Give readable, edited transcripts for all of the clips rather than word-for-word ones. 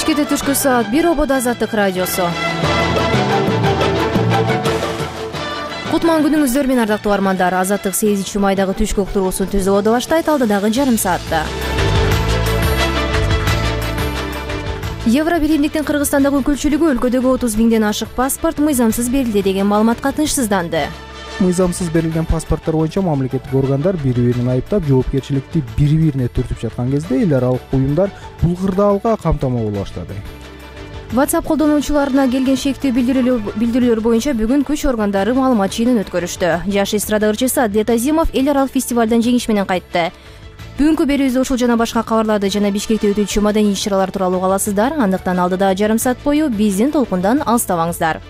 Бишкекте түшкү саат 1 ободо Азаттык радиосу. Кутман күнүңүздөр менен ардактуу армандар. Азаттык 8-майдагы түшкү уктуруусун түзүп ободо баштайт алдыдагы жарым саатта. Евробиримдиктин Кыргызстандагы өкүлчүлүгү өлкөдөгү 30 миңден ашык паспорт мыйзамсыз берилди деген маалыматка тынчсызданды. Мыйзамсыз берилген паспорттор боюнча мамлекеттик органдар бири-бирин айыптап, жоопкерчиликти бири-бирине түртүп жаткан кезде эл аралык уюмдар бул кырдаалга камтама боло баштады. WhatsApp колдонуучуларына келген шектүү билдирүүлөр боюнча бүгүн күч органдары маалымат жыйынын өткөрүштү. Жаш эстрада ырчысы Адилет Азимов эл аралык фестивалдан жеңиш менен кайтты. Бүгүнкү берүүбүздө ушул жана башка кабарларды жана Бишкекте өтүүчү маданий иш-чаралар тууралуу уга аласыздар. Андыктан алдыда жарым саат бою биздин толкундан алыстабаңыздар.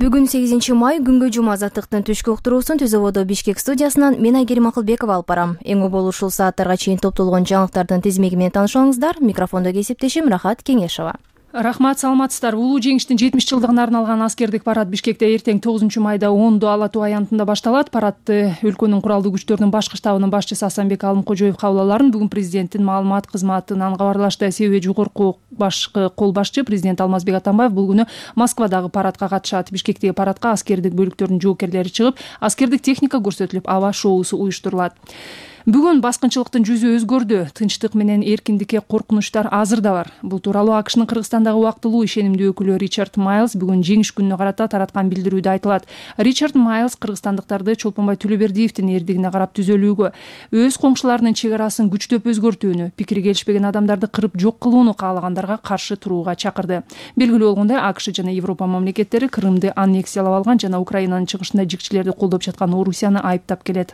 Бүгүн 8-май күнгө жума Азаттыктын түшкү уктуруусун түз ободо Бишкек студиясынан мен Айгерим Акылбекова алып барам. Эң болуу ушул сааттарга чейин топтолгон жаңылыктардын тизмеги менен таанышыңыздар. Микрофондо кесиптешим Рахат Кеңешова. Рахмат, саламатсыздар. Улуу жеңиштин 70 жылдыгына арналган аскердик парад Бишкекте эртең 9-майда 10 Ала Тоо аянтында башталат. Парадты өлкөнүн куралдуу күчтөрүнүн башкы штабынын башчысы Асанбек Алымкожоев кабыл бүгүн президенттин маалымат кызматынан кабарлашты. Себеби жогорку башкы кол башчы президент Алмазбек Атамбаев бул күнү Москвадагы парадка катышат. Бишкектеги парадка аскердик бөлүктөрдүн жоокерлери чыгып, аскердик техника көрсөтүлүп, аба шоусу уюштурулат. Бүгүн баскынчылыктын жүзү өзгөрдү. Тынчтык менен эркиндикке коркунучтар азыр да бар. Бул тууралуу АКШнын Кыргызстандагы убактылуу ишенимдүү өкүлү Ричард Майлз бүгүн жеңиш күнүнө карата тараткан билдирүүдө айтылат. Ричард Майлз кыргызстандыктарды Чолпонбай Төлөбердиевдин эрдигине карап түзөлүүгө, өз коңшуларынын чек арасын күчтөп өзгөртүүнү, пикири келишпеген адамдарды кырып жок кылууну каалагандарга каршы турууга чакырды. Белгилүү болгондой, АКШ жана Европа мамлекеттери Крымды аннексиялап алган жана Украинанын чыгышында жикчилерди колдоп жаткан Орусияны айыптап келет.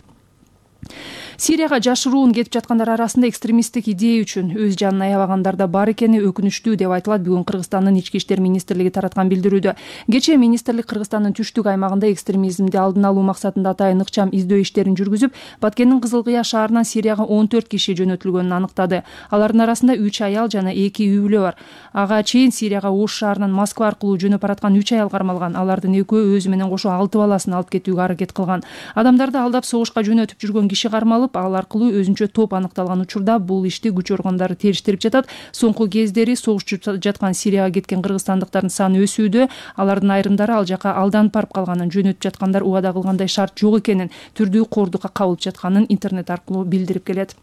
Сирияга жашыруун кетип жаткандар арасында экстремисттик идея үчүн өз жанын аябагандар да бар экени өкүнүчтүү деп айтылат бүгүн Кыргызстандын ички иштер министрлиги тараткан билдирүүдө. Кечээ министрлик Кыргызстандын түштүк аймагында экстремизмди алдын алуу максатында атайын ыкчам издөө иштерин жүргүзүп, Баткендин Кызыл Кыя шаарынан Сирияга 14 киши жөнөтүлгөнүн аныктады. Алардын арасында 3 аял жана 2 үй бүлө бар. Ага чейин Сирияга Ош шаарынан Москва аркылуу жөнөп бараткан 3 аял кармалган. Алардын экөө өзү менен кошо 6 баласын алып кетүүгө аракет кылган. Адамдарды алдап согушка жөнөтүп жүргөн киши кармалып, ал аркылуу өзүнчө топ аныкталган учурда бул ишти күч органдары териштирип жатат. Соңку кездери согушчу жаткан Сирияга кеткен кыргызстандыктардын саны өсүүдө. Алардын айрымдары ал жака алданып барып калганын, жөнөтүп жаткандар убада кылгандай шарт жок экенин, түрдүү кордукка кабылып жатканын интернет аркылуу билдирип келет.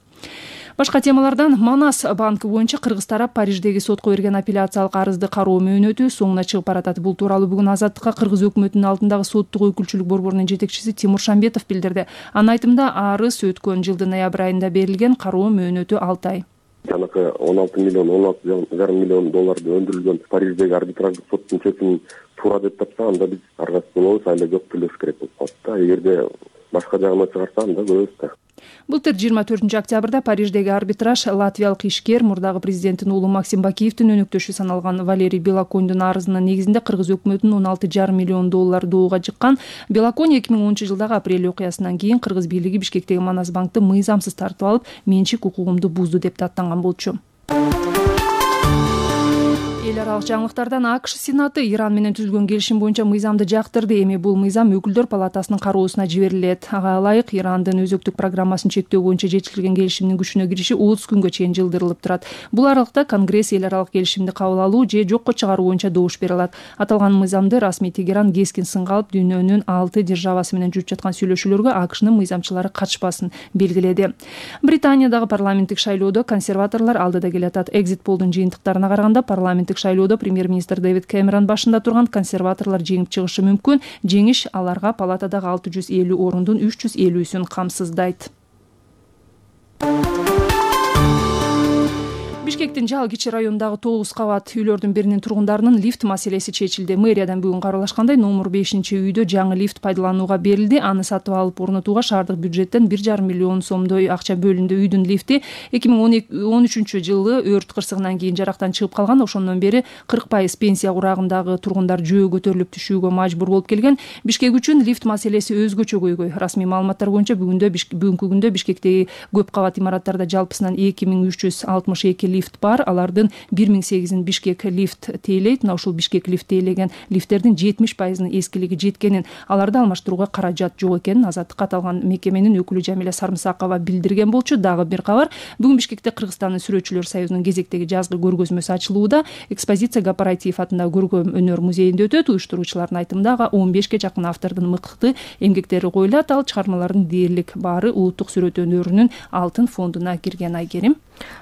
Башка темалардан Манас банкы боюнча кыргыз тарап Париждеги сотко берген апелляциялык арызды кароо мөөнөтү соңуна чыгып баратат. Бул тууралуу бүгүн Азаттыкка кыргыз өкмөтүнүн алдындагы соттук өкүлчүлүк борборунун жетекчиси Тимур Шамбетов билдирди. Анын айтымында арыз өткөн жылдын ноябрь айында берилген, кароо мөөнөтү 6 ай. Жанакы 16 миллион, 16,5 миллион долларды өндүрүлгөн Париждеги арбитраждык соттун чечимин туура деп тапса, анда биз аргасыз болобуз, айла жок төлөш керек болуп калат да. Эгерде башка жагына чыгарса, анда көрөбүз да. Былтыр 24 октябрда Париждеги арбитраж латвиялык ишкер мурдагы президенттин уулу Максим Бакиевдин өнөктөшү саналган Валерий Белоконьдун арызынын негизинде кыргыз өкмөтүнүн 16,5 миллион доллар доого жыккан. Белоконь 2010 жылдагы апрель окуясынан кийин кыргыз бийлиги Бишкектеги Манас банкты мыйзамсыз тартып алып, менчик укугумду бузду деп даттанган болчу. Эл аралык жаңылыктардан АКШ Сенаты Иран менен түзүлгөн келишим боюнча мыйзамды жактырды. Эми бул мыйзам өкүлдөр палатасынын кароосуна жиберилет. Ага ылайык Ирандын өзөктүк программасын чектөө боюнча жетишилген келишимдин күчүнө кириши 30 күнгө чейин жылдырылып турат. Бул аралыкта Конгресс эл аралык келишимди кабыл алуу же жокко чыгаруу боюнча добуш бере алат. Аталган мыйзамды расмий Тегеран кескин сынга алып, дүйнөнүн 6 державасы менен жүрүп жаткан сүйлөшүүлөргө АКШнын мыйзамчылары катышпасын белгиледи. Британиядагы парламенттик шайлоодо консерваторлор алдыда келатат. Экзит полдун жыйынтыктарына караганда парламенттик шайлоодо премьер-министр Дэвид Кэмерон башында турган консерваторлор жеңип чыгышы мүмкүн. Жеңиш аларга палатадагы 650 орундун 350-сүн камсыздайт. Бишкектин Жал кичи районундагы 9 кабат үйлөрдүн биринин тургундарынын лифт маселеси чечилди. Мэриядан бүгүн кабарлашкандай, номер 5-үйдө жаңы лифт пайдаланууга берилди. Аны сатып алып орнотууга шаардык бюджеттен 1,5 миллион сомдой акча бөлүндү. Үйдүн лифти 2013 жылы өрт кырсыгынан кийин жарактан чыгып калган. Ошондон бери 40% пенсия курагындагы тургундар жөө көтөрүлүп түшүүгө мажбур болуп келген. Бишкек үчүн лифт маселеси өзгөчө көйгөй. Расмий маалыматтар боюнча бүгүнкү күндө Бишкектеги көп кабат имараттарда жалпысынан 2362 лифт лифт бар. Алардын 1008 Бишкек лифт тейлейт. Мына ушул Бишкек лифт тейлеген лифттердин 70% эскилиги жеткенин, аларды алмаштырууга каражат жок экенин Азаттыкка аталган мекеменин өкүлү Жамиля Сармсакова билдирген болчу. Дагы бир кабар. Бүгүн Бишкекте Кыргызстандын сүрөтчүлөр союзунун кезектеги жазгы көргөзмөсү ачылууда. Экспозиция Гапараитиев атындагы көркөм өнөр музейинде өтөт. Уюштуруучулардын айтымында 15ге жакын автордун мыкты эмгектери коюлат. Ал чыгармалардын дээрлик баары улуттук сүрөт өнөрүнүн алтын фондуна кирген. Айгерим.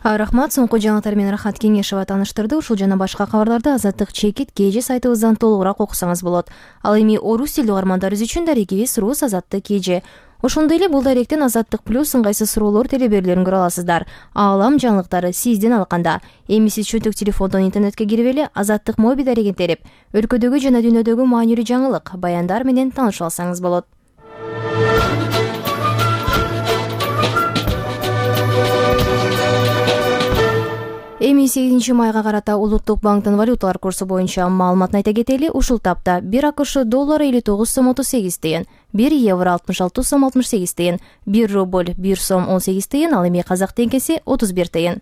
Рахмат. Соңку жаңылыктар менен Рахат Кеңешова таныштырды. Ушул жана башка кабарларды Азаттык чекит KG сайтыбыздан толугураак окусаңыз болот. Ал эми орус тилдүү угармандарыбыз үчүн дарегибиз Рус Азаттык KG. Ошондой эле бул даректен Азаттык плюс ыңгайсыз суроолор телеберлерин көрө аласыздар. Аалам жаңылыктары сизден алканда. Эми сиз чөнтөк телефондон интернетке кирип эле Азаттык моби дарегин терип, өлкөдөгү жана дүйнөдөгү маанилүү жаңылык, баяндар менен таанышып алсаңыз болот. Эми 8 майга карата Улуттук банктын валюталар курсу боюнча маалыматын айта кетели. Ушул тапта 1 АКШ доллары 59 сом 38 тыйын, 1 евро 66 сом 68 тыйын, 1 рубль 1 сом 18 тыйын, ал эми казак теңгеси 31 тыйын.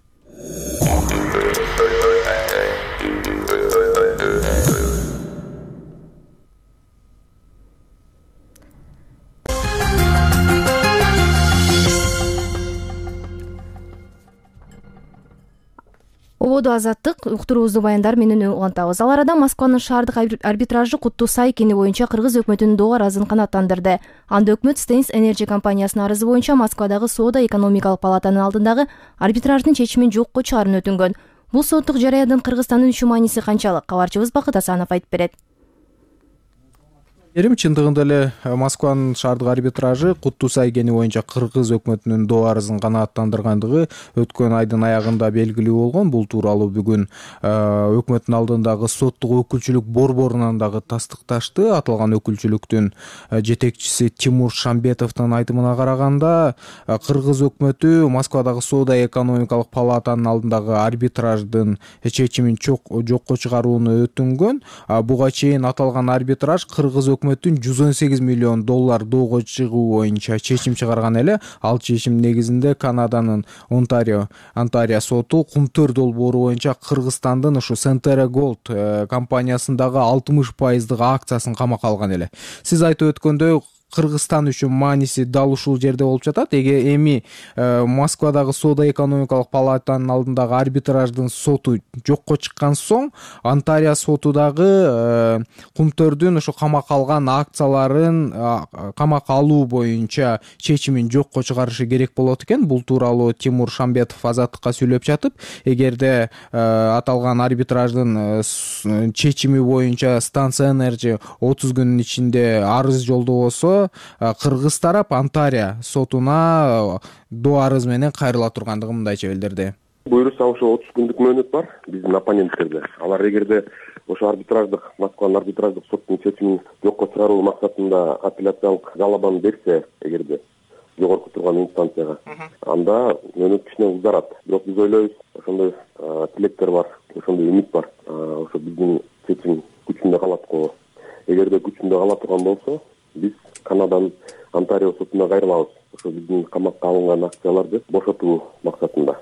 Ободу Азаттык уктуруубузду баяндар менен улантабыз. Ал арада Москванын шаардык арбитражы Куттуу Сай кени боюнча кыргыз өкмөтүнүн доо арызын канааттандырды. Анда өкмөт Стенс Energy компаниясынын арызы боюнча Москвадагы соода экономикалык палатанын алдындагы арбитраждын чечимин жокко чыгаарын өтүнгөн. Бул соттук жараяндын Кыргызстандын үчүн мааниси канчалык? Кабарчыбыз Бакыт Асанов айтып берет. Чындыгында эле Москванын шаардык арбитражы Куттуу Сай кени боюнча кыргыз өкмөтүнүн доо арызын канааттандыргандыгы өткөн айдын аягында белгилүү болгон. Бул тууралуу бүгүн өкмөттүн алдындагы соттук өкүлчүлүк борборунан дагы тастыкташты. Аталган өкүлчүлүктүн жетекчиси Тимур Шамбетовдун айтымына караганда, кыргыз өкмөтү Москвадагы соода экономикалык палатанын алдындагы арбитраждын чечимин жокко чыгарууну өтүнгөн. Буга чейин аталган арбитраж кыргыз өкмөтүн 118 миллион доллар доого чыгуу боюнча чечим чыгарган эле. Ал чечим негизинде Канаданын Онтарио соту Кумтөр долбоору боюнча Кыргызстандын ушу Centera Gold компаниясындагы 60% акциясын камакка алган эле. Сиз айтып өткөндөй, Кыргызстан үчүн мааниси дал ушул жерде болуп жатат. Эми Москвадагы соода экономикалык палатанын алдындагы арбитраждын соту жокко чыккан соң, Онтарио соту дагы Кумтөрдүн ушу камакка алган акцияларын камакка алуу боюнча чечимин жокко чыгарышы керек болот экен. Бул тууралуу Тимур Шамбетов Азаттыкка сүйлөп жатып, эгерде аталган арбитраждын чечими боюнча Станция Energy 30 күнүн ичинде арыз жолдобосо, кыргыз тарап Онтарио сотуна доо арыз менен кайрыла тургандыгын мындайча билдирди. Буюрса ошо 30 күндүк мөөнөт бар биздин оппоненттерде. Алар эгерде ошо Москванын арбитраждык соттун чечимин жокко чыгаруу максатында апелляциялык жалобаны берсе, эгерде жогорку турган инстанцияга, анда мөөнөт кичине узарат. Бирок биз ойлойбуз, ошондой тилектер бар, ошондой үмүт бар. Ошо биздин чечим күчүндө калат го. Эгерде күчүндө кала турган болсо, биз Канаданын Онтарио сотуна кайрылабыз. Ошо биздин камакка алынган акцияларды бошотуу максатында.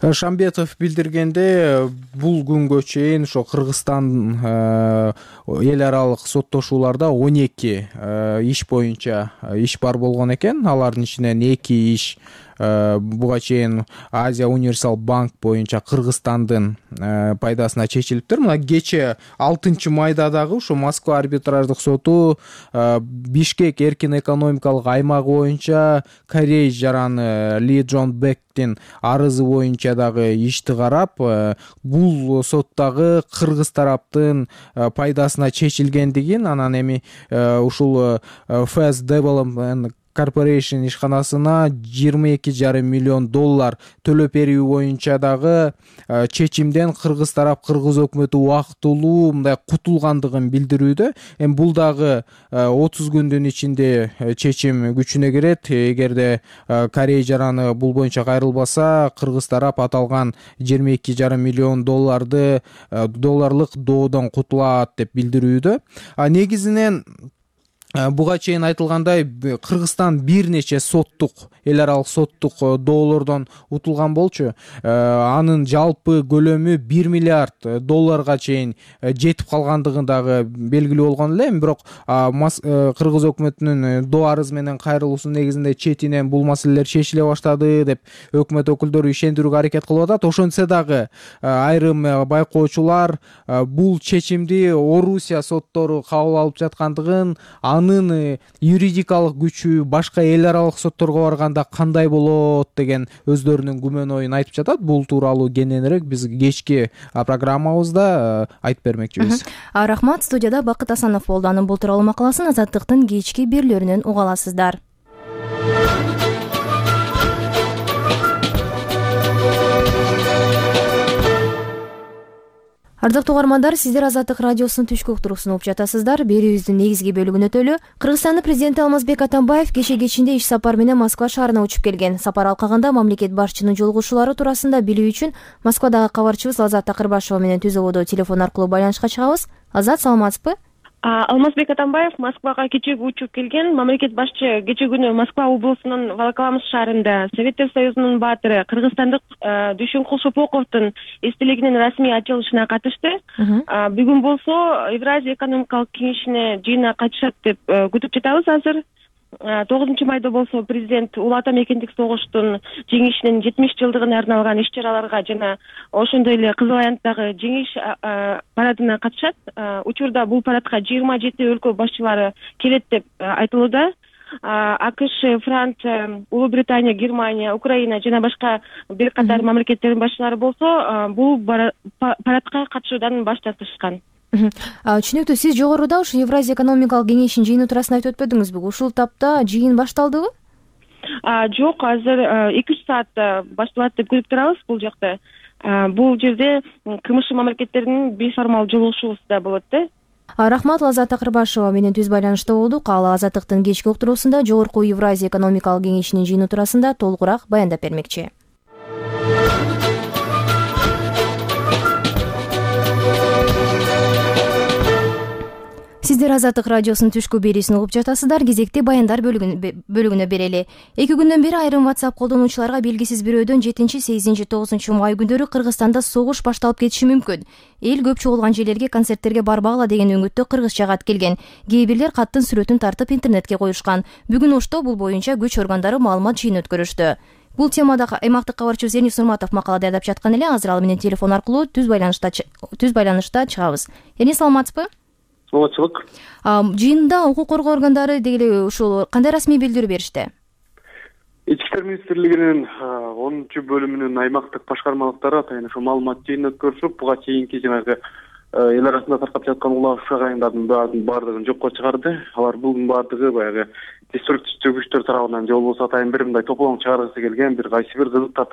Шамбетов билдиргенде, бул күнгө чейин ошо Кыргызстан эл аралык соттошууларда 12 иш боюнча иш бар болгон экен. Алардын ичинен 2 иш буга чейин Азия Универсал банк боюнча Кыргызстандын пайдасына чечилиптир. Мына кече 6 майда дагы ушу Москва арбитраждык соту Бишкек эркин экономикалык аймагы боюнча Корей жараны Ли Джон Бектин арызы боюнча дагы ишти карап, бул соттагы кыргыз тараптын пайдасына чечилгендигин, анан эми ушул Fast Development Corporation ишканасына 22,5 миллион доллар төлөп берүү боюнча дагы чечимден кыргыз тарап, кыргыз өкмөтү убактылуу мындай кутулгандыгын билдирүүдө. Эми бул дагы 30 күндүн ичинде чечим күчүнө кирет. Эгерде Корей жараны бул боюнча кайрылбаса, кыргыз тарап аталган 22,5 миллион долларлык доодон кутулат деп билдирүүдө. Негизинен буга чейин айтылгандай Кыргызстан бир нече эл аралык соттук доолордон утулган болчу. Анын жалпы көлөмү 1 миллиард долларга чейин жетип калгандыгы дагы белгилүү болгон эле. Бирок Кыргыз өкмөтүнүн доо арызы менен кайрылуусу негизинде четинен бул маселелер чечиле баштады деп өкмөт өкүлдөрү ишендирүүгө аракет кылып атат. Ошентсе дагы айрым байкоочулар бул чечимди Орусия соттору кабыл алып жаткандыгын, анын юридикалык күчү башка эл аралык сотторго барганда кандай болот деген өздөрүнүн күмөн оюн айтып жатат. Бул тууралуу кененирээк биз кечки программабызда айтып бермекчибиз. Рахмат. Студияда Бакыт Асанов болду. Анын бул тууралуу макаласын Азаттыктын кечки берүүлөрүнөн уга аласыздар. Ардактуу угармандар, сиздер Азаттык радиосунун түшкү уктуруусун угуп жатасыздар. Берүүбүздүн негизги бөлүгүнө өтөлү. Кыргызстандын президенти Алмазбек Атамбаев кече иш сапар менен Москва шаарына учуп келген. Сапар алкагында мамлекет башчынын жолугушуулары туурасында билүү үчүн Москвадагы кабарчыбыз Азат Такырбашева менен түз ободо телефон аркылуу байланышка чыгабыз. Азат, саламатсызбы? Алмазбек Атамбаев Москвага кечеги учуп келген. Мамлекет башчы кече күнү Москва облусунун Волоколамск шаарында Советтер Союзунун баатыры кыргызстандык Дүйшөнкул Шопоковдун эстелигинин расмий ачылышына катышты. Бүгүн болсо Евразия экономикалык кеңешине жыйына катышат деп күтүп жатабыз азыр. 9 майда болсо президент Улуу Ата Мекендик согуштун жеңишинин 70 жылдыгына арналган иш-чараларга жана ошондой эле Кызыл Аянттагы жеңиш парадына катышат. Учурда бул парадка 27 өлкө башчылары келет деп айтылууда. АКШ, Франция, Улуу Британия, Германия, Украина жана башка бир катар мамлекеттердин башчылары болсо бул парадка катышуудан баш тартышкан. Түшүнүктүү. Сиз жогоруда ушу Евразия экономикалык кеңешинин жыйыны туурасында айтып өтпөдүңүзбү? Ушул тапта жыйын башталдыбы? Жок, азыр 2-3 саат башталат деп күтүп турабыз бул жакта. Бул жерде КМШ мамлекеттеринин бейформал жолугушуусу болот да. Рахмат. Азат Такырбашева менен түз байланышта болдук. Ал Азаттыктын кечки уктуруусунда жогорку Евразия экономикалык кеңешинин жыйыны туурасында толугураак баяндап бермекчи. Сиздер Азаттык радиосунун түшкү берүүсүн угуп жатасыздар. Кезекти баяндар бөлүгүнө берели. 2 күндөн бери айрым WhatsApp колдонуучуларга белгисиз бирөөдөн 7, 8, 9 май күндөрү Кыргызстанда согуш башталып кетиши мүмкүн. Эл көп чогулган жерлерге, концерттерге барбагыла деген үмүттө кыргызча кат келген. Кээ бирлер каттын сүрөтүн тартып интернетке коюшкан. Бүгүн Ошто бул боюнча күч органдары маалымат жыйын өткөрүштү. Бул темада аймактык кабарчыбыз Эрнис Нурматов макала даярдап жаткан эле. Азыр ал менен телефон аркылуу түз байланышта чыгабыз. Эрнис, саламатсызбы? Саламатчылык. Жыйында укук коргоо органдары дегеле ушул кандай расмий билдирүү беришти? Ички иштер министрлигинин 10 бөлүмүнүн аймактык башкармалыктары атайын ошо маалымат жыйын өткөрүшүп, буга чейинки жанагы эл арасында таркап жаткан улак ушак айымдардын баардыгын жокко чыгарды. Алар буның баардыгы баягы деструктивдүү күчтөр тарабынан же болбосо атайын бир мындай тополоң чыгаргысы келген бир кайсы бир кызыктар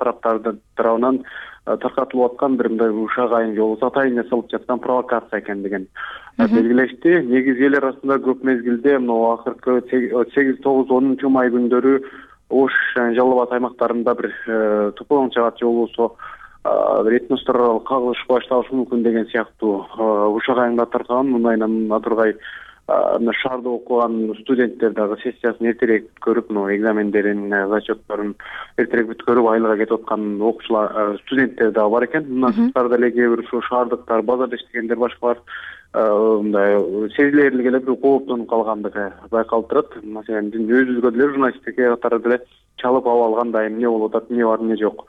тарабынан таркатылып аткан бир мындай ушак айым же болбосо атайын жасалып жаткан провокация экендигин белгилешти. Негизи эл арасында көп мезгилде мына акыркы 8, 9, 10 май күндөрү Ош жана Жалал Абад аймактарында бир тополоң чыгат же болбосо бир этностор аралык кагылыш башталышы мүмкүн деген сыяктуу ушак айымдар таркаган. Мындайынан Атургай шаарда окуган студенттер дагы сессиясын эртерээк бүткөрүп, экзамендерин, зачетторун эртерээк бүткөрүп айылга кетип аткан окуучулар, студенттер дагы бар экен. Мындан сырткары деле кээ бир ушу шаардыктар, базарда иштегендер башкалар мындай сезилерлик эле бир кооптонуп калгандыгы байкалып турат. Маселен, өзүбүзгө деле журналисттикке катары деле чалып ала алгандай эмне болуп атат, эмне бар, эмне жок.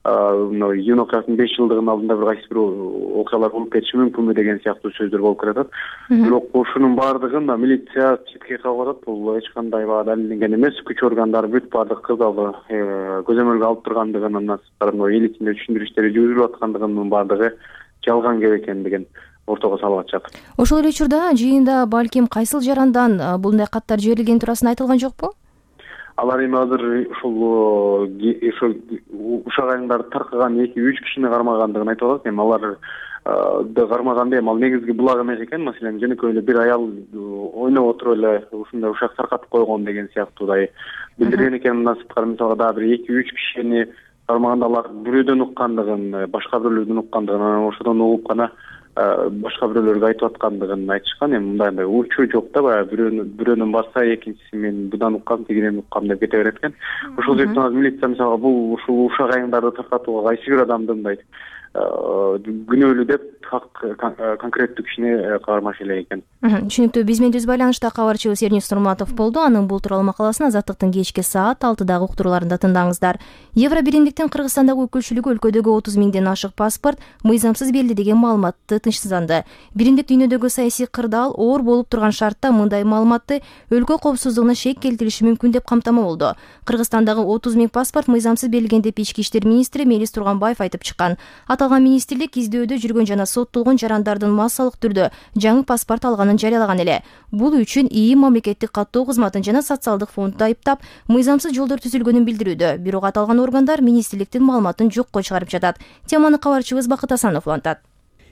Июнь окуясынын 5 жылдыгынын алдында бир кайсы бир окуялар болуп кетиши мүмкүнбү деген сыяктуу сөздөр болуп келатат. Бирок ушунун баардыгын милиция четке кагып атат. Бул эч кандай далилденген эмес. Күч органдары бүт баардык кырдаалды көзөмөлгө алып тургандыгын, андан сырткары эл ичинде түшүндүрүү иштери жүрүп аткандыгынын баардыгы жалган кеп экендигин ортого салып атышат. Ошол эле учурда жыйында балким кайсыл жарандан булундай каттар жиберилгени туурасында айтылган жокпу? Алар эми азыр ушул ушак айымдарды таркаган 2-3 кишини кармагандыгын айтып атат. Эми алар кармаганда эми ал негизги булак эмес экен. Маселен, жөнөкөй эле бир аял ойноп отуруп эле ушундай ушак таркатып койгон деген сыяктуудай билдирген экен. Мындан сырткары мисалга дагы бир 2-3 кишини кармаганда алар бирөөдөн уккандыгын, башка бирөөлөрдөн уккандыгын, анан ошодон угуп гана башка бирөөлөргө айтып аткандыгын айтышкан. Эми мындай учуу жок да, баягы бирөөнүн барса экинчиси мен бундан уккам, тигинен уккам деп кете берет экен. Ошол себептен азыр милиция мисалга бул ушул ушак айыңдарды таркатууга кайсы бир адамды мындай күнөөлүү деп конкреттүү кишини каармаш элек экен. Түшүнүктүү. Биз менен түз байланышта кабарчыбыз Эрнис Нурматов болду. Анын бул тууралуу макаласын Азаттыктын кечки саат 6дагы уктурууларында тыңдаңыздар. Евро биримдиктин Кыргызстандагы өкүлчүлүгү өлкөдөгү 30 миңден ашык паспорт мыйзамсыз берилди деген маалыматты тынчсызданды. Биримдик дүйнөдөгү саясий кырдаал оор болуп турган шартта мындай маалыматты өлкө коопсуздугуна шек келтириши мүмкүн деп камтама болду. Кыргызстандагы 30 миң паспорт мыйзамсыз берилген деп Ички иштер министри Мелис Турганбаев айтып чыккан. Аталган министрлик издөөдө жүргөн жана соттолгон жарандардын массалык түрдө жаңы паспорт алганын жарыялаган эле. Бул үчүн ИИ мамлекеттик каттоо кызматын жана социалдык фондду айыптап, мыйзамсыз жолдор түзүлгөнүн билдирүүдө. Бирок аталган органдар министрликтин маалыматын жокко чыгарып жатат. Теманы кабарчыбыз Бакыт Асанов улантат.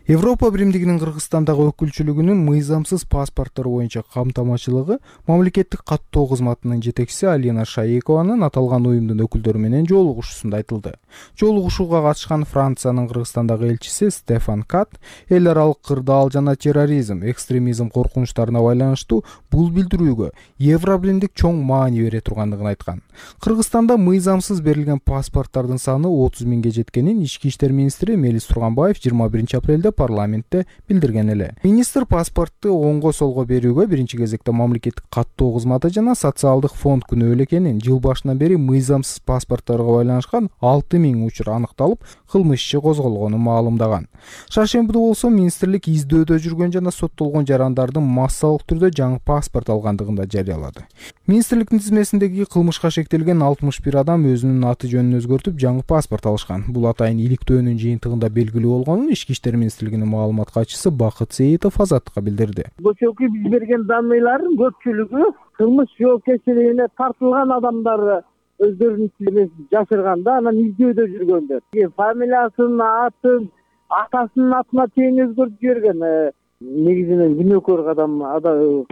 Европа биримдигинин Кыргызстандагы өкүлчүлүгүнүн мыйзамсыз паспорттор боюнча камтамачылыгы мамлекеттик каттоо кызматынын жетекчиси Алина Шаекованын аталган уюмдун өкүлдөрү менен жолугушуусунда айтылды. Жолугушууга катышкан Франциянын Кыргызстандагы элчиси Стефан Кат эл аралык кырдаал жана терроризм, экстремизм коркунучтарына байланыштуу бул билдирүүгө Евро биримдик чоң маани бере тургандыгын айткан. Кыргызстанда мыйзамсыз берилген паспорттардын саны 30 миңге жеткенин Ички иштер министри Мелис Турганбаев 21 апрелде парламентте билдирген эле. Министр паспортту оңго солго берүүгө биринчи кезекте мамлекеттик каттоо кызматы жана социалдык фонд күнөөлүү экенин, жыл башынан бери мыйзамсыз паспортторго байланышкан 6 миң учур аныкталып, кылмыш иши козголгонун маалымдаган. Шаршембиде болсо министрлик издөөдө жүргөн жана соттолгон жарандардын массалык түрдө жаңы паспорт алгандыгын да жарыялады. Министрликтин тизмесиндеги кылмышка шектелген 61 адам өзүнүн аты жөнүн өзгөртүп жаңы паспорт алышкан. Бул атайын иликтөөнүн жыйынтыгында белгилүү болгонун Ички иштер министрлигинин маалымат катчысы Бакыт Сейитов Азаттыкка билдирди. Көчөкү биз берген данныйлардын көпчүлүгү кылмыш жоопкерчилигине тартылган адамдар өздөрүнүн тилин жашырганда, анан издөөдө жүргөндөр. Фамилиясын, атын, атасынын атына чейин өзгөртүп жиберген. Негизинен күнөөкөр адам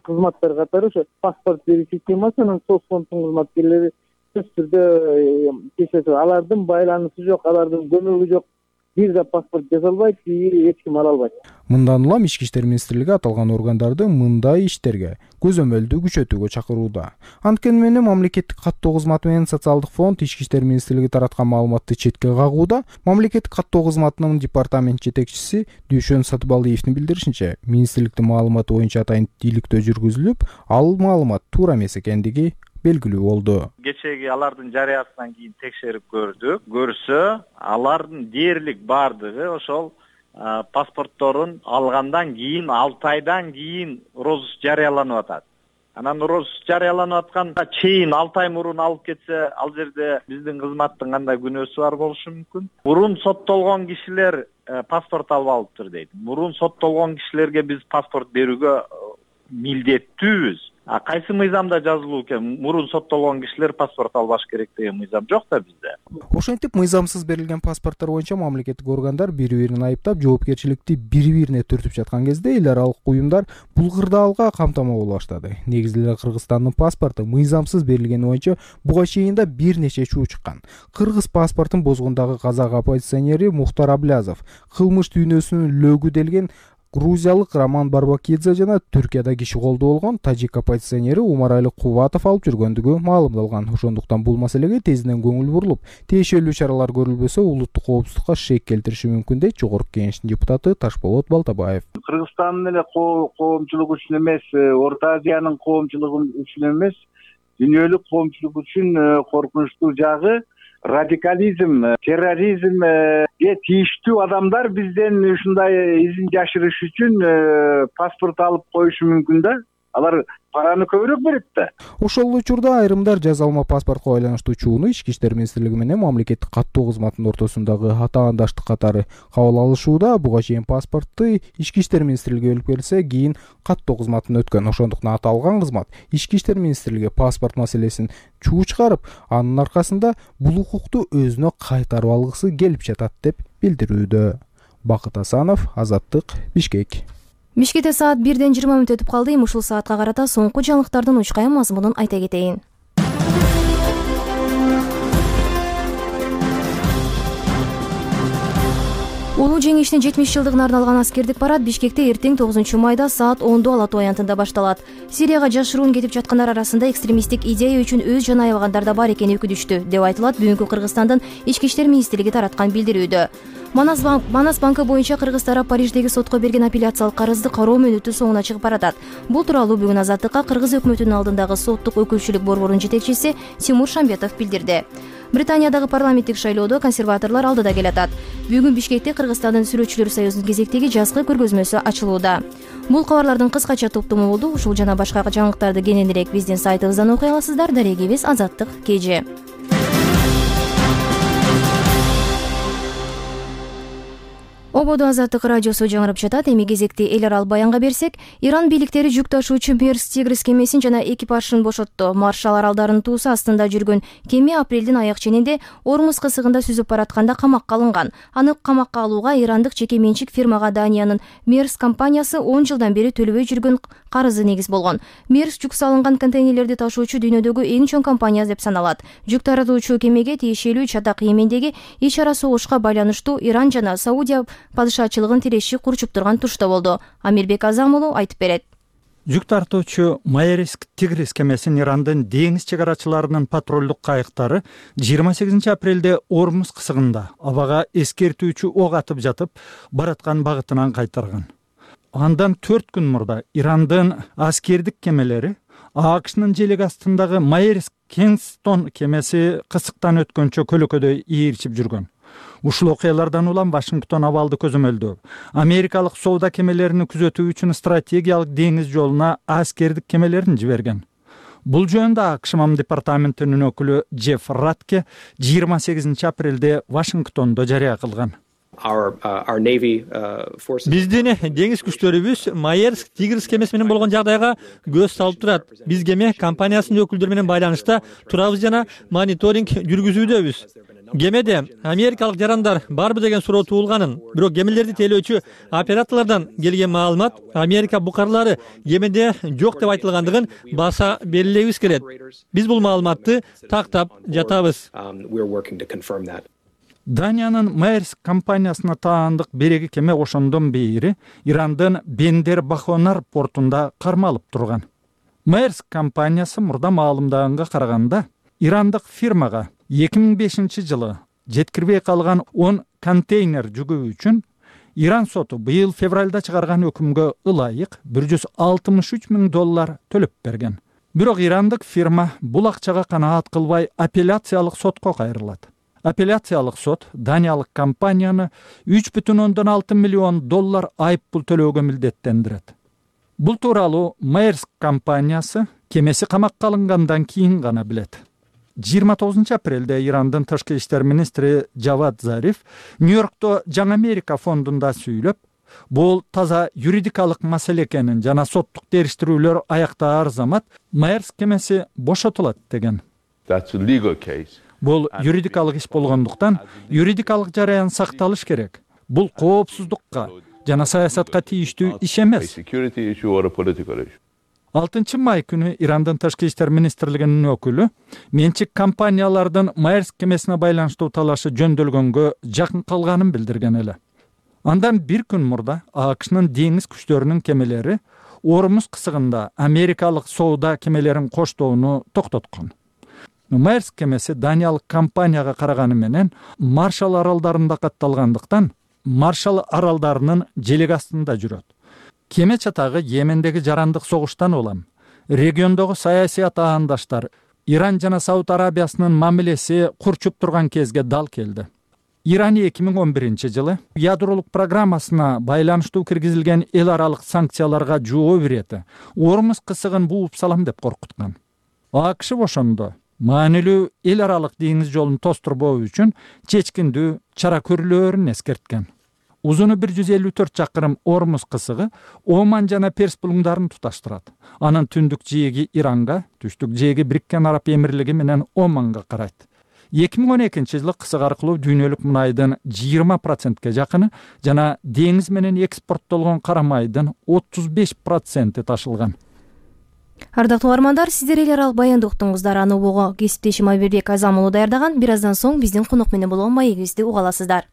кызматтар катары ошо паспорт берүү системасынын соцфонддун кызматкерлери сөзсүз түрдө кечет. Алардын байланышы жок, алардын көмөгү жок. Бир да паспорт жасалбайт, эч ким ала албайт. Мындан улам Ички иштер министрлиги аталган органдарды мындай иштерге көзөмөлдү күчөтүүгө чакырууда. Анткени менен мамлекеттик каттоо кызматы менен социалдык фонд Ички иштер министрлиги тараткан маалыматты четке кагууда. Мамлекеттик каттоо кызматынын департамент жетекчиси Дүйшөн Сатыбалдиевдин билдиришинче, министрликтин маалыматы боюнча атайын иликтөө жүргүзүлүп, ал маалымат туура эмес экендиги белгилүү болду. Кечеги алардын жарыясынан кийин текшерип көрсө, алардын дээрлик бардыгы ошол паспортторун алгандан кийин 6 айдан кийин розыск жарыяланып атат. Анан розыск жарыяланып атканда чейин 6 ай мурун алып кетсе, ал жерде биздин кызматтын кандай күнөөсү бар болушу мүмкүн. Мурун соттолгон кишилер паспорт алып алыптыр дейт. Мурун соттолгон кишилерге биз паспорт берүүгө милдеттүүбүз. Кайсы мыйзамда жазылуу экен? Мурун соттолгон кишилер паспорт албаш керек деген мыйзам жок да бизде. Ошентип мыйзамсыз берилген паспорттор боюнча мамлекеттик органдар бири-бирин айыптап, жоопкерчиликти бири-бирине түртүп жаткан кезде эл аралык уюмдар бул кырдаалга камтама боло баштады. Негизи эле Кыргызстандын паспорту мыйзамсыз берилгени боюнча буга чейин да бир нече чуу чыккан. Кыргыз паспортун бозгондагы казак оппозиционери Мухтар Аблязов, кылмыш дүйнөсүнүн лөгү делген грузиялык Роман Барбакидзе жана Түркияда киши колдоо болгон тажик оппозиционери Умарали Кубатов алып жүргөндүгү маалымдалган. Ошондуктан бул маселеге тезинен көңүл бурулуп, тиешелүү чаралар көрүлбөсө улуттук коопсуздукка шек келтириши мүмкүн дейт Жогорку Кеңештин депутаты Ташболот Балтабаев. Кыргызстандын эле коомчулугу үчүн эмес, Орто Азиянын коомчулугу үчүн эмес, дүйнөлүк коомчулук үчүн коркунучтуу жагы радикализм, терроризмге тийиштүү адамдар бизден ушундай изин жашырыш үчүн паспорт алып коюшу мүмкүн да. Алар параны көбүрөөк берет да. Ошол учурда айрымдар жазалма паспортко байланыштуу чууну Ички иштер министрлиги менен мамлекеттик каттоо кызматынын ортосундагы атаандаштык катары кабыл алышууда. Буга чейин паспортту Ички иштер министрлиги өлүп келсе, кийин каттоо кызматына өткөн. Ошондуктан аталган кызмат Ички иштер министрлиги паспорт маселесин чуу чыгарып, анын аркасында бул укукту өзүнө кайтарып алгысы келип жатат деп билдирүүдө. Бакыт Асанов, Азаттык, Бишкек. Бишкекте саат 1:20 мүнөт өтүп калды. Ушул саатка карата соңку жаңылыктардын учкай мазмунун айта кетейин. Улуу жеңиштин 70 жылдыгына арналган аскердик парад Бишкекте эртең 9 майда саат 10 Ала Тоо аянтында башталат. Сирияга жашыруун кетип жаткандар арасында экстремисттик идея үчүн өз жан аябагандар да бар экени өкүнүштүү деп айтылат бүгүнкү Кыргызстандын Ички иштер министрлиги тараткан билдирүүдө. Манас банкы боюнча Кыргыз тарап Париждеги сотко берген апелляциялык карызды кароо мөөнөтү соңуна чыгып баратат. Бул тууралуу бүгүн Азаттыкка Кыргыз өкмөтүнүн алдындагы соттук өкүлчүлүк борборунун жетекчиси Тимур Шамбетов билдирди. Британиядагы парламенттик шайлоодо консерваторлор алдыда келатат. Бүгүн Бишкекте Кыргызстандын сүрөтчүлөр союзунун кезектеги жазгы көргөзмөсү ачылууда. Бул кабарлардын кыскача топтому болду. Ушул жана башка жаңылыктарды кененирээк биздин сайтыбыздан окуй аласыздар. Дарегибиз Азаттык KG. Ободо Азаттык радиосу жаңырып жатат. Эми кезекти эл аралык баянга берсек, Иран бийликтери жүк ташуучу Мерс Тигрис кемесин жана экипажын бошотту. Маршал аралдарынын туусу астында жүргөн кеме апрелдин аяк ченинде Ормуз кысыгында сүзүп баратканда камакка алынган. Аны камакка алууга ирандык жеке менчик фирмага Даниянын Мерс компаниясы 10 жылдан бери төлөбөй жүргөн карызы негиз болгон. Мерс жүк салынган контейнерлерди ташуучу дүйнөдөгү эң чоң компания деп саналат. Жүк таратуучу кемеге тиешелүү чатак Йемендеги ич ара согушка байланыштуу Иран жана Саудия падышачылыгын тиреши курчуп турган турушта болду. Амирбек Азам уулу айтып берет. Жүк тартуучу Мерс Тигрис кемесин Ирандын деңиз чек арачыларынын патрулдук кайыктары 28 апрелде Ормуз кысыгында абага эскертүүчү ок атып жатып бараткан багытынан кайтарган. Андан 4 күн мурда Ирандын аскердик кемелери АКШнын желеги астындагы Мерс Кингстон кемеси кысыктан өткөнчө көлөкөдө ийирчип жүргөн. Ушул окуялардан улам Вашингтон абалды көзөмөлдөө. Америкалык соода кемелерини күзөтүү үчүн стратегиялык деңиз жолуна аскердик кемелерин жиберген. Бул жөнүндө АКШ Мам департаментинин өкүлү Джефф Ратке 28 апрелде Вашингтондо жарыя кылган. Биздин деңиз күчтөрүбүз Мерс Тигрис кемеси менен болгон жагдайга көз салып турат. Биз кеме компаниясынын өкүлдөрү менен байланышта турабыз жана мониторинг жүргүзүүдөбүз. Кемеде америкалык жарандар барбы деген суроо туулганын, бирок кемелерди тейлөөчү операторлордон келген маалымат Америка букарлары кемеде жок деп айтылгандыгын баса белгилегибиз келет. Биз бул маалыматты тактап жатабыз. Даниянын Мерс компаниясына таандык береги кеме ошондон бери Ирандын Бендер Бахонар портунда кармалып турган. Мерс компаниясы мурда маалымдаганга караганда ирандык фирмага 2005 жылы жеткирбей калган 10 контейнер жүгүү үчүн Иран соту быйыл февралда чыгарган өкүмгө ылайык $163 миң төлөп берген. Бирок ирандык фирма бул акчага канаат кылбай апелляциялык сотко кайрылат. Апелляциялык сот Даниялык компанияны $3,6 миллион айыппул төлөөгө милдеттендирет. Бул тууралуу Мерс компаниясы кемеси камакка алынгандан кийин гана билет. 29 апрелде Ирандын тышкы иштер министри Джавад Зариф Нью-Йоркто Жаңы Америка фондунда сүйлөп, бул таза юридикалык маселе экенин жана соттук териштирүүлөр аяктаар замат Мерс кемеси бошотулат деген. Бул юридикалык иш болгондуктан юридикалык жараян сакталыш керек. Бул коопсуздукка жана саясатка тийиштүү иш эмес. 6 май күнү Ирандын тышкы иштер министрлигинин өкүлү менчик компаниялардын Мерс кемесине байланыштуу талашы жөндөлгөнгө жакын калганын билдирген эле. Андан бир күн мурда АКШнын деңиз күчтөрүнүн кемелери Ормуз кысыгында америкалык соода кемелерин коштоону токтоткон. Мерс кемеси Даниялык компанияга караганы менен Маршал аралдарында катталгандыктан Маршал аралдарынын желеги астында жүрөт. Кеме чатагы Йемендеги жарандык согуштан улам региондогу саясий атаандаштар Иран жана Сауд Арабиясынын мамилеси курчуп турган кезге дал келди. Иран 2011 жылы ядролук программасына байланыштуу киргизилген эл аралык санкцияларга жоо бирети Ормуз кысыгын бууп салам деп коркуткан. АКШ ошондо маанилүү эл аралык деңиз жолун тостурбоо үчүн чечкиндүү чара көрүлөөрүн эскерткен. Узуну 154 чакырым Ормуз кысыгы Оман жана Перс булуңдарын туташтырат. Анын түндүк жээги Иранга, түштүк жээги Бириккен Араб Эмирлиги менен Оманга карайт. 2012 жылы кысык аркылуу дүйнөлүк мунайдын 20%ке жакыны жана деңиз менен экспорттолгон кара майдын 35% ташылган. Ардактуу угармандар, сиздер эл аралык баянды уктуңуздар. Аны убого кесиптешим Амирбек Азам уулу даярдаган. Бир аздан соң биздин конок менен болгон маегибизди уга аласыздар.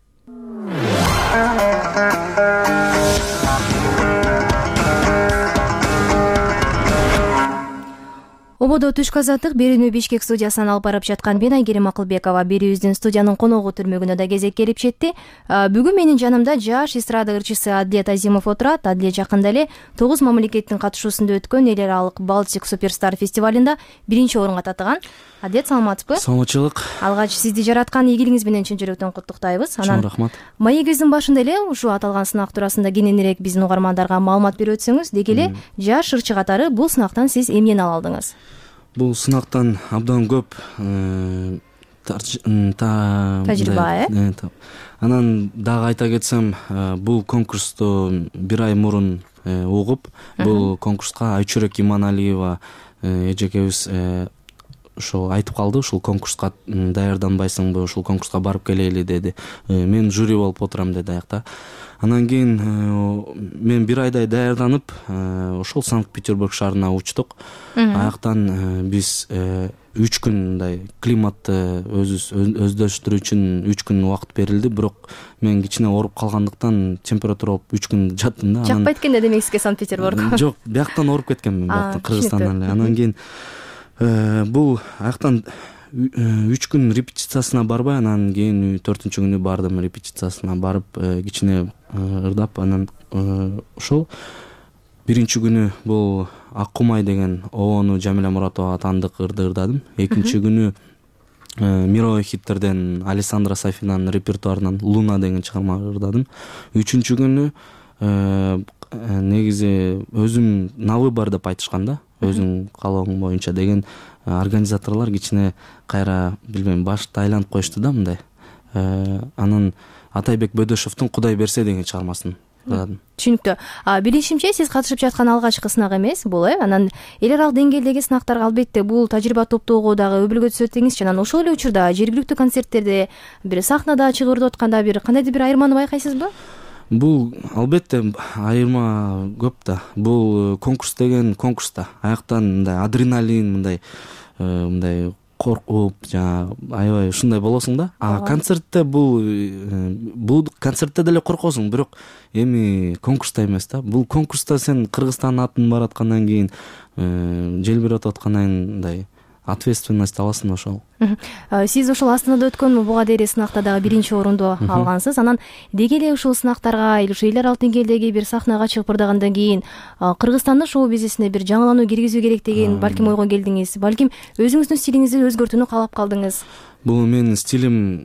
Ободо түшкү азаттык берүүнү Бишкек студиясынан алып барып жаткан мен Айгерим Акылбекова. Берүүбүздүн студиянын коногу түрмөгүнө да кезек келип жетти. Бүгүн менин жанымда жаш эстрада ырчысы Адилет Азимов отурат. Адилет жакында эле 9 мамлекеттин катышуусунда өткөн эл аралык Балтик Суперстар фестивалында 1-орунга татыган. Адилет, саламатсызбы? Саламатчылык. Алгач сизди жараткан ийгилигиңиз менен чын жүрөктөн куттуктайбыз. Чоң рахмат. Маегибиздин башында эле ушул аталган сынак туурасында кененирээк биздин угармандарга маалымат берип өтсөңүз, деги эле жаш ырчы катары бул сынактан сиз эмнени ала алдыңыз? Бул сынактан абдан көп тажрыйба. Анан дагы айта кетсем, бул конкурсту бир ай мурун угуп, бул конкурска Айчүрөк Иманалиева эжекебиз ошол айтып калды, ушул конкурска даярданбайсыңбы, ушул конкурска барып келели деди. Мен жюри болуп отурам деди аякта. Анан кийин мен бир айдай даярданып, ошол Санкт-Петербург шаарына учтук. Аяктан биз 3 күн мындай климатты өздөштүрүү үчүн 3 күн убакыт берилди, бирок мен кичине ооруп калгандыктан температура болуп 3 күн жаттым да. Жакпайт экен да демек сизге Санкт-Петербург? Жок, бияктан ооруп кеткенмин, бияктан Кыргызстандан эле. Анан кийин бул аяктан 3 күн репетициясына барбай, анан кийин 4-күнү бардым репетициясына барып, кичине ырдап, анан ошол 1-күнү бул Ак Кумай деген обону Жамиля Муратова тандык ырды ырдадым. 2-күнү мировой хиттерден Александра Сафинанын репертуарынан Луна деген чыгарма ырдадым. 3-күнү негизи өзүм на выбор деп айтышкан да, өзүң каалооң боюнча деген организаторлор кичине кайра билбейм башты айланып коюшту да мындай. Анан Атайбек Бөдөшовдун Кудай берсе деген чыгармасын ырдадым. Түшүнүктүү. Билишимче, сиз катышып жаткан алгачкы сынак эмес бул, Анан эл аралык деңгээлдеги сынактарга албетте бул тажрыйба топтоого дагы өбөлгө түзөт деңизчи. Анан ошол эле учурда жергиликтүү концерттерде, бир сахнада чыгып ырдап атканда бир кандайдыр бир айырманы байкайсызбы? Бул албетте айырма көп да. Бул конкурс деген конкурс да. Аяктан мындай адреналин, мындай коркуп, аябай ушундай болосуң да. Концертте бул концертте деле коркосуң, бирок эми конкурста эмес да. Бул конкурста сен Кыргызстандын атын бараткандан кийин, желбиреп аткандан кийин мындай ответственность аласың ошол. Сиз ошол Астанада өткөн буга дейин сынакта дагы 1-орунду алгансыз. Анан деги эле ушул сынактарга, ушул эл аралык деңгээлдеги бир сахнага чыгып ырдагандан кийин Кыргызстандын шоу бизнесине бир жаңылануу киргизүү керек деген балким ойго келдиңиз, балким өзүңүздүн стилиңизди өзгөртүүнү каалап калдыңыз. Бул менин стилим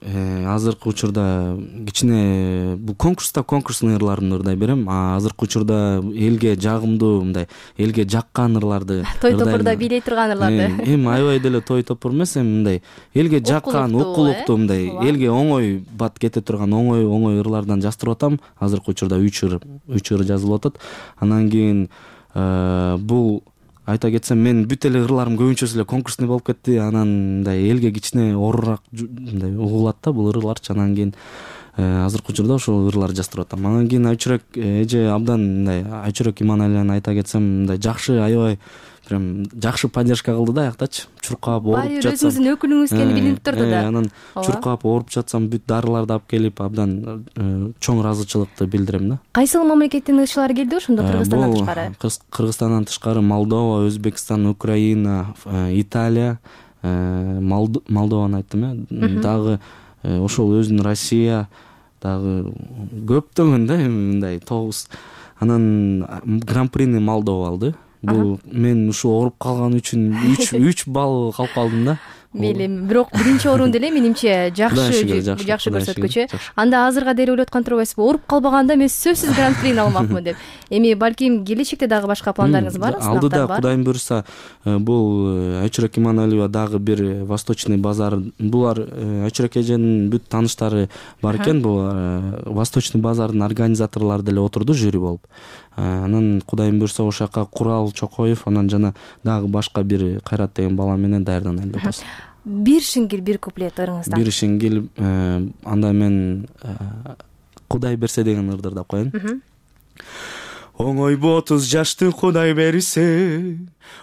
азыркы учурда кичине бул конкурстун ырларын ырдай берем, азыркы учурда элге жагымдуу мындай элге жаккан ырларды той топурда бийлей турган ырларды. Эми аябай деле той топур эмес, эми мындай элге жаккан, укулуктуу, мындай элге оңой бат кете турган оңой ырлардан жаздырып атам. Азыркы учурда 3 ыр жазылып атат. Анан кийин бул айта кетсем, мен бүт эле ырларым көбүнчөсү эле конкурсный болуп кетти. Анан мындай элге кичине оорураак мындай угулат да бул ырларчы. Анан кийин азыркы учурда ошол ырларды жаздырып атам. Анан кийин Айчүрөк эже абдан мындай Айчүрөк Иманалияны айта кетсем, мындай жакшы, аябай прям жакшы поддержка кылды да аяктачы. Чуркап ооруп жатсам, өзүңүздүн өкүлүңүз экени билинип турду да. Анан чуркап ооруп жатсам бүт дарыларды алып келип, абдан чоң ыраазычылыкты билдирем да. Кайсыл мамлекеттин ырчылары келди ошондо Кыргызстандан тышкары? Кыргызстандан тышкары Молдова, Өзбекстан, Украина, Италия, Молдованы айттым, дагы ошол өзүнүн Россия, дагы көптөгөн да, мындай 9. Анан гран-прини Молдова алды. Бул мен ушу ооруп калган үчүн 3 балл калып калдым да. Мейли, бирок 1-орун деле менимче жакшы көрсөткүчү. Анда азырга деле ойлоп аткан турбайсызбы? Ооруп калбаганда мен сөзсүз гран-прини алмакмын деп. Эми балким келечекте дагы башка пландарыңыз барбы? Алдыда Кудайым буйруса, бул Айчүрөк Иманалиева дагы бир Восточный базар. Булар Айчүрөк эженин бүт тааныштары бар экен. Бул Восточный базардын организаторлору деле отурду жюри болуп. Анан Кудайым буйруса ошол жака Курал Чокоев, анан жана дагы башка бир Кайрат деген бала менен даярданайын деп атабыз. Бир шиңгил, бир куплет ырыңыздан. Бир шиңгил, анда мен Кудай берсе деген ырды ырдап коеюн. оңойбу 30 жашты Кудай берсе,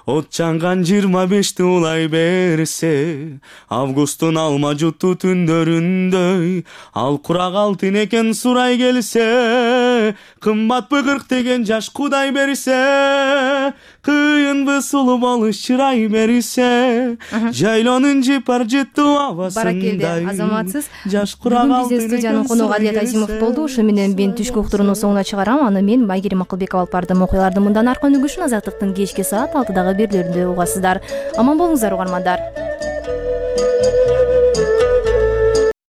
от жанган 25ти улай берсе, августтун алма жутту түндөрүндөй, ал курак алтын экен сурай келсе, кымбатпы 40 деген жаш Кудай берсе, кыйынбы сулуу болуш чырай берсе, жайлоонун жыпар жыттуу абасындай. Баракелде, азаматсыз. Жаш курак Бүгүн алтын биздин студиянын экен коногу сурай Адилет Азимов келсе. болду. Ушу менен мен түшкү уктурууну соңуна чыгарам. Аны мен Майгерим Акылбекова алып бардым. Окуялардын мындан аркы өнүгүшүн Азаттыктын кечки саат 6дагы берүүлөрүндө угасыздар. Аман болуңуздар угармандар.